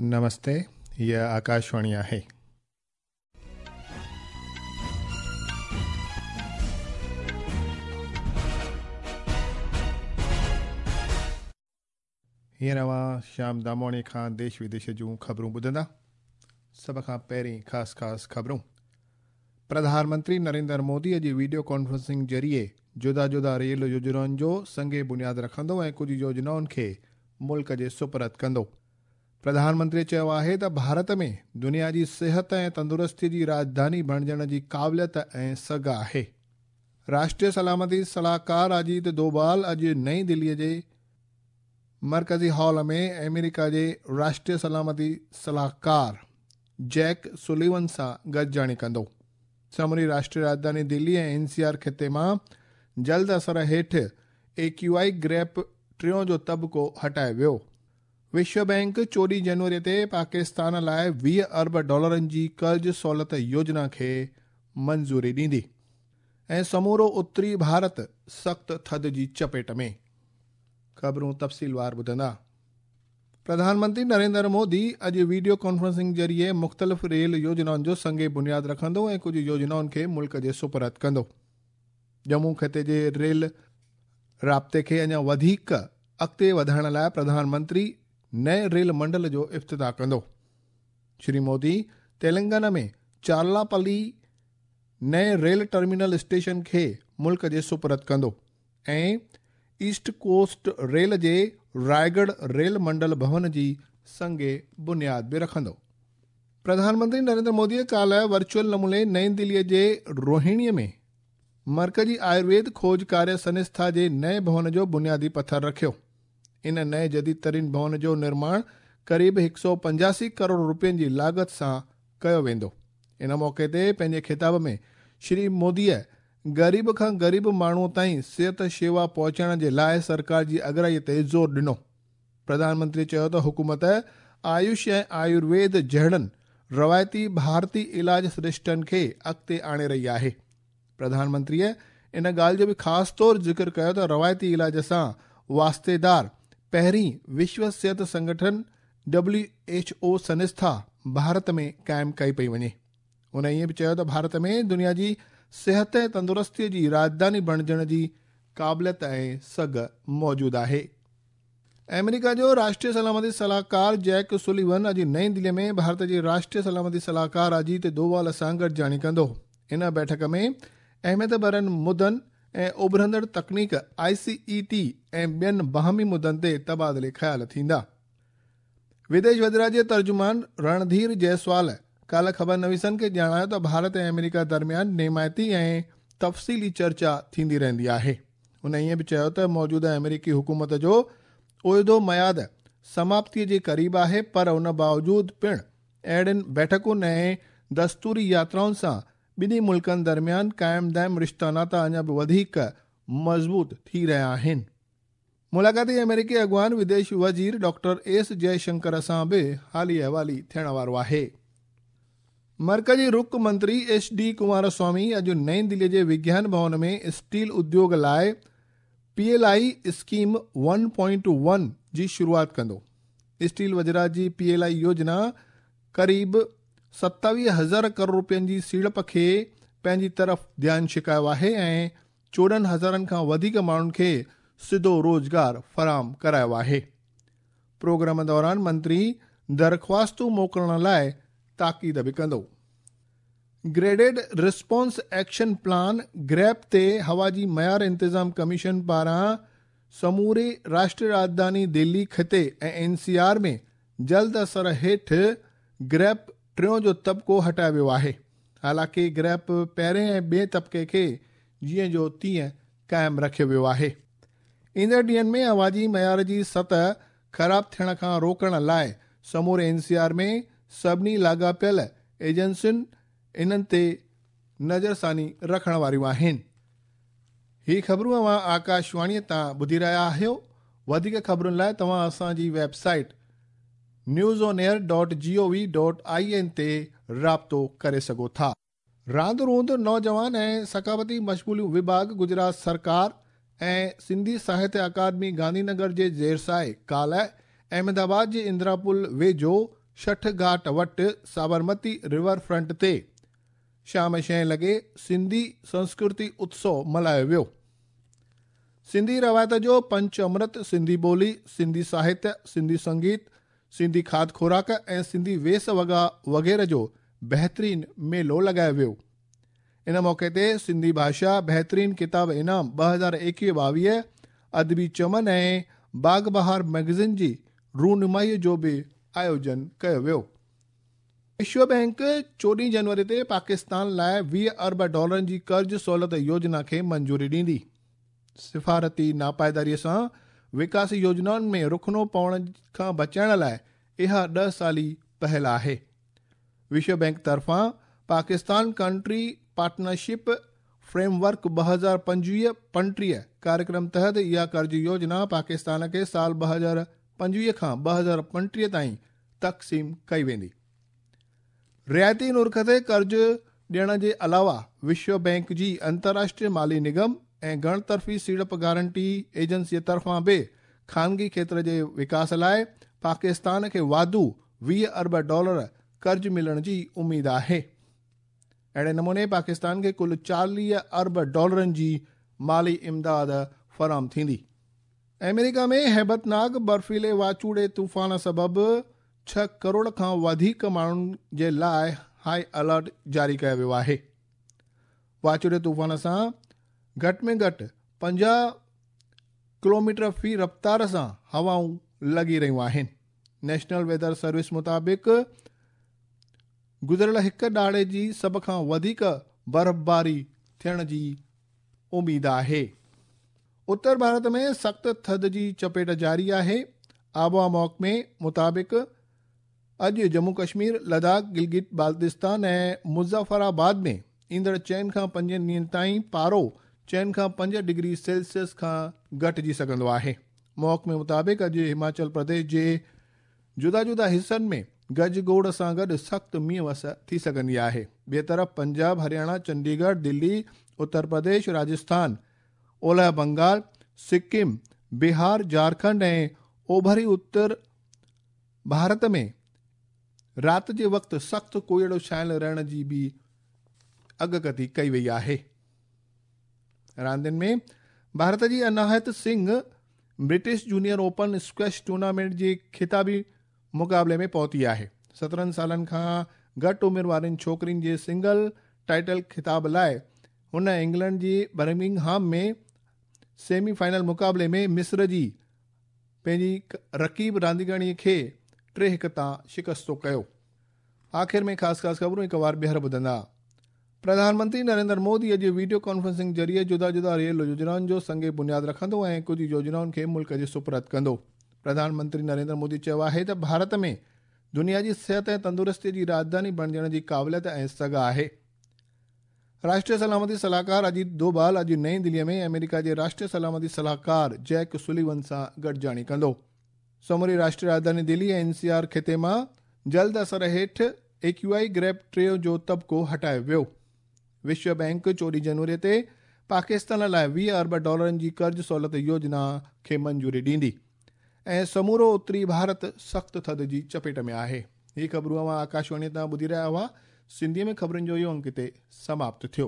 नमस्ते, हीअ आकाशवाणी आहे. हींअर अव्हां श्याम दामोणी खां देश विदेश जूं ख़बरूं ॿुधंदा. सभ खां पहिरीं ख़ासि ख़ासि ख़बरूं. प्रधानमंत्री नरेंद्र मोदी अॼु वीडियो कॉन्फ्रेंसिंग ज़रिए जुदा जुदा रेल योजनाउनि जो संग बुनियाद रखंदो ऐं कुझु योजनाउनि खे मुल्क जे सुपुर्द कंदो. प्रधानमंत्री चयो आहे त भारत में दुनिया जी सिहत ऐं तंदुरुस्ती जी राजधानी बणिजण जी क़ाबिलियत ऐं सघ आहे. राष्ट्रीय सलामती सलाहकार अजीत डोभाल अॼु नई दिल्लीअ जे मर्कज़ी हॉल में अमेरिका जे राष्ट्रीय सलामती सलाहकार जैक सुलिवन सां गॾिजाणी कंदो. समूरी राष्ट्रीय राजधानी दिल्ली ऐं एनसीआर ख़िते मां जल्द असर हेठि AQI grep टियों जो तबिको हटाए वियो. विश्व बैंक 14 जनवरी ते पाकिस्तान लाइ 20 अरब डॉलरनि जी कर्ज़ सहूलियत योजना खे मंज़ूरी ॾींदी. ऐं समूरो उत्तरी भारत सख़्तु थधि जी चपेट में. ख़बरूं तफ़सीलवार ॿुधंदा. प्रधानमंत्री नरेंद्र मोदी अॼु वीडियो कॉन्फ्रेंसिंग ज़रिए मुख़्तलिफ़ रेल योजनाउनि जो संग बुनियाद रखंदो ऐं कुझु योजनाउनि खे मुल्क जे सुपुर्द कंदो. जम्मू ख़िते जे रेल राब्ते खे अञा वधीक अॻिते वधाइण लाइ प्रधानमंत्री नए रेल मंडल जो इफ़्तिताह कंदो. श्री मोदी तेलंगाना में चार्लापली नए रेल टर्मिनल स्टेशन खे मुल्क जे सुपुर्द कंदो ऐं ईस्ट कोस्ट रेल जे रायगढ़ रेल मंडल भवन जी संग बुनियाद बि रखंदो. प्रधानमंत्री नरेंद्र मोदीअ काल्ह वर्चुअल नमूने नई दिल्लीअ जे रोहिणीअ में मर्कज़ी आयुर्वेद खोज कार्य संस्था जे नए भवन जो बुनियादी पथर रखियो. इन नए जदीद तरीन भवन जो निर्माण क़रीब 185 करोड़ रुपयनि जी लागत सां कयो वेंदो. इन मौक़े ते पंहिंजे ख़िताब में श्री मोदीअ ग़रीब खां ग़रीब माण्हूअ ताईं सिहत शेवा पहुचाइण जे लाइ सरकार जी अगराईअ ते ज़ोर ॾिनो. प्रधानमंत्री चयो त हुकूमत आयुष ऐं आयुर्वेद जहिड़नि रवायती भारतीय इलाज सरिश्तनि खे अॻिते आणे रही आहे. प्रधानमंत्रीअ इन ॻाल्हि जो बि ख़ासि तौर ज़िक्र कयो त रवायती इलाज सां वास्तेदार पहिरीं विश्व सिहत संगठन WHO संस्था भारत में क़ाइमु कई पई वञे. हुन ईअं बि चयो त भारत में दुनिया जी सिहत ऐं तंदुरुस्तीअ जी राजधानी बणिजण जी क़ाबिलियत ऐं सघ मौजूदु आहे. अमेरिका जो राष्ट्रीय सलामती सलाहकार जैक सुलिवन अॼु नई दिल्लीअ में भारत जे राष्ट्रीय सलामती सलाहकार अजीत डोभाल सां गॾिजाणी कंदो. इन बैठक में अहमियत भरनि मुदनि ऐं उभरंदड़ तकनीक ICET ऐं ॿियनि बाहमी मुदनि ते तबादिले ख़्याल थींदा. विदेश वज़ारत जे तर्जुमान रणधीर जायसवाल काल्ह ख़बर नवीसनि खे ॼाणायो त भारत ऐं अमेरिका दरमियान नेमायती ऐं तफ़सीली चर्चा थींदी रहंदी आहे. हुन ईअं बि चयो त मौजूदा अमेरिकी हुकूमत जो उहिदो मयाद समाप्तीअ जे क़रीब आहे, पर उन बावजूद पिणु अहिड़ियुनि बैठकुनि ऐं दस्तूरी यात्राउनि सां ॿिन्ही मुल्कनि दरमियान क़ाइम दाइम रिश्ता नाता अञा बि वधीक मज़बूत थी रहिया आहिनि. मुलाक़ाती अमेरिकी अॻुवान विदेश वज़ीर डॉक्टर एस जयशंकर सां बि हाली अहिवाली थियण वारो आहे. मर्कज़ी रुख मंत्री एस.डी. कुमारस्वामी अॼु नई दिल्लीअ जे विज्ञान भवन में स्टील उद्योग लाइ PLI scheme 1.1 जी शुरूआत कंदो. स्टील वज़ारत जी PLI योजना क़रीब 27,000 करोड़ रुपयनि जी सीड़प खे पंहिंजी तरफ़ ध्यानु छिकायो आहे ऐं 14,000 खां वधीक माण्हुनि खे सिधो रोज़गार फराहम करायो आहे. प्रोग्राम दौरान मंत्री दरख़्वास्तूं मोकिलण लाइ ताक़ीद बि कंदो. Graded response action plan GRAP ते हवा जी मयार इंतिज़ाम कमीशन पारां समूरे राष्ट्रीय राजधानी दिल्ली ख़िते ऐं एनसीआर में जल्द असर हेठि ग्रैप टियों जो तबिको हटायो वियो आहे. हालांकि ग्रैप पहिरें ऐं ॿिए तबिके खे जीअं जो तीअं क़ाइमु रखियो वियो आहे. ईंदड़ ॾींहंनि में हवा जी मयार जी सतह ख़राब थियण खां रोकण लाइ समूरे एनसीआर में सभिनी लाॻापियल एजेंसियुनि इन्हनि ते नज़रसानी रखण वारियूं आहिनि. ही ख़बरूं अव्हां आकाशवाणीअ तां ॿुधी रहिया आहियो. वधीक ख़बरुनि लाइ तव्हां असांजी वेबसाइट newsonair.gov.in ते राब्तो करे सघो था. रांदि रूंदि नौजवान ऐं सक़ाफ़ती मशगूलियूं विभाग गुजरात सरकार ऐं सिंधी साहित्य अकादमी गांधीनगर जे ज़ेरसाए काल्ह अहमदाबाद जे इंदिरा पुल वेझो ڇٺ گهاٽ وٽ سابرمتي ريور فرنٽ تي شام 6 لڳي سنڌي سنسڪرتي اتسو ملهايو ويو. سنڌي روايت جو پنچ امرت، سنڌي ٻولي، سنڌي ساهتيه، سنڌي سنگيت، سنڌي کاڌ خوراڪ ۽ سنڌي ويس وڳا وغيره جو بهترين ميلو لڳايو ويو. ان موقعي تي سنڌي ڀاشا بهترين ڪتاب انعام 2021-22، ادبي چمن ۽ باغ بهار مئگزين جي رونمائي جو به آيوجن ڪيو ويو. وشو بئنڪ 14 جنوري تي پاڪستان لاء 20 ارب ڊالرن جي قرض سهولت يوجنا کي منظوري ڏيندي. سفارتي ناپائيداري سان وڪاسي يوجنائن ۾ رخنو پوڻ کان بچائڻ لاء اها 10 سالي پهل آهي. وشو بئنڪ طرفان Pakistan country partnership frame work 2025-35 ڪاريڪرم تحت اها قرض يوجنا پاڪستان کي سال 2025 کان 2035 تائين تقسيم ڪئي ويندي. رعايتي نرخ تي قرض ڏيڻ جي علاوه وشو بئنڪ جي انترراشٽريه مالي نگم ۽ گهڻ طرفي سيڙپ گارنٽي ايجنسي طرفان به خانگي کيتر جي وڪاس لاء پاڪستان کي واڌو 20 ارب ڊالر قرض ملڻ جي اميد آهي. اهڙي نموني پاڪستان کي ڪل 40 ارب ڊالرن جي مالي امداد فراهم ٿيندي. آمريڪا ۾ هيبتناڪ برفيلي واچوڙي طوفان سبب 6 ڪروڙ کان وڌيڪ ماڻهن جي لاء هائي الرٽ جاري ڪيو ويو آهي. واچوڙي طوفان سان گهٽ ۾ گهٽ 50 ڪلوميٽر في رفتار سان هوائون لڳي رهيون آهن. نيشنل ويدر سروس مطابق گذريل هڪ ڏهاڙي جي سڀ کان وڌيڪ برفباري ٿيڻ جي اميد آهي. اتر ڀارت ۾ سخت ٿڌ جي چپيٽ جاري آهي. آبهوا محڪمي مطابق اڄ ڄمون ڪشمير، لداخ، گلگت بالتستان ۽ مظفر آباد ۾ ايندڙ 4 کان 5 ڏينهن تائين پارو 4 کان 5 ڊگري سيلسيس کان گهٽجي سگهندو آهي. محڪمي مطابق اڄ هماچل پرديش جي جدا جدا حصن ۾ گجگوڙ سان گڏ سخت مينهن وس ٿي سگهندي آهي. ٻئي طرف پنجاب، هرياڻا، چنڊيڳڙهه، دلي، اتر پرديش، راجسٿان، اولهه بنگال، سڪم، بهار، جهارکنڊ ۽ اوڀري اتر ڀارت ۾ رات جي وقت سخت ڪوهيڙو ڇانيل رهڻ جي به اڳڪٿي ڪئي وئي آهي. راندين ۾ ڀارت جي Anahat Singh British junior open squash tournament جي خطابي مقابلي ۾ پهتي آهي. 17 سالن کان گهٽ عمر وارين ڇوڪرين جي سنگل ٽائيٽل خطاب لاء هن انگلينڊ جي برمنگهام ۾ سيمي فائنل مقابلي ۾ مصر جي پنهنجي رقيب رانديگرڻي کي 3-1 تان شڪستو ڪيو. آخر ۾ خاص خاص خبرون هڪ وار ٻيهر ٻڌندا. پرڌان منتري نريندر مودي اڄ ويڊيو ڪانفرنسنگ ذريعي جدا جدا ريل يوجنائن جو سنگ بنياد رکندو ۽ ڪجهه يوجنائن کي ملڪ جي سپرد ڪندو. پرڌان منتري نريندر مودي چيو آهي ته ڀارت ۾ دنيا جي صحت ۽ تندرستي جي راڄڌاني بڻجڻ جي قابليت ۽ سگهه آهي. راشٽريه سلامتي صلاحڪار اجيت دوڀال اڄ نئين دلي ۾ آمريڪا جي راشٽريه سلامتي صلاحڪار جيڪ سليون سان گڏجاڻي ڪندو. سموري راشٽريه راڄڌاني دلي ۽ اين سي آر خطي مان جلد اثر هيٺ اي ڪيو آء گريڊ 3 جو طبقو هٽايو ويو. وشو بئنڪ 14 جنوري تي پاڪستان لاء 20 ارب ڊالرن جي قرض سهولت يوجنا کي منظوري ڏيندي ۽ سمورو اتري ڀارت سخت ٿڌ جي چپيٽ ۾ آهي. هي خبرون اوهان آڪاشواڻي تان ٻڌي رهيا هئا. سنڌيء ۾ خبرن جو اهو انڪ هتي سماپت ٿيو.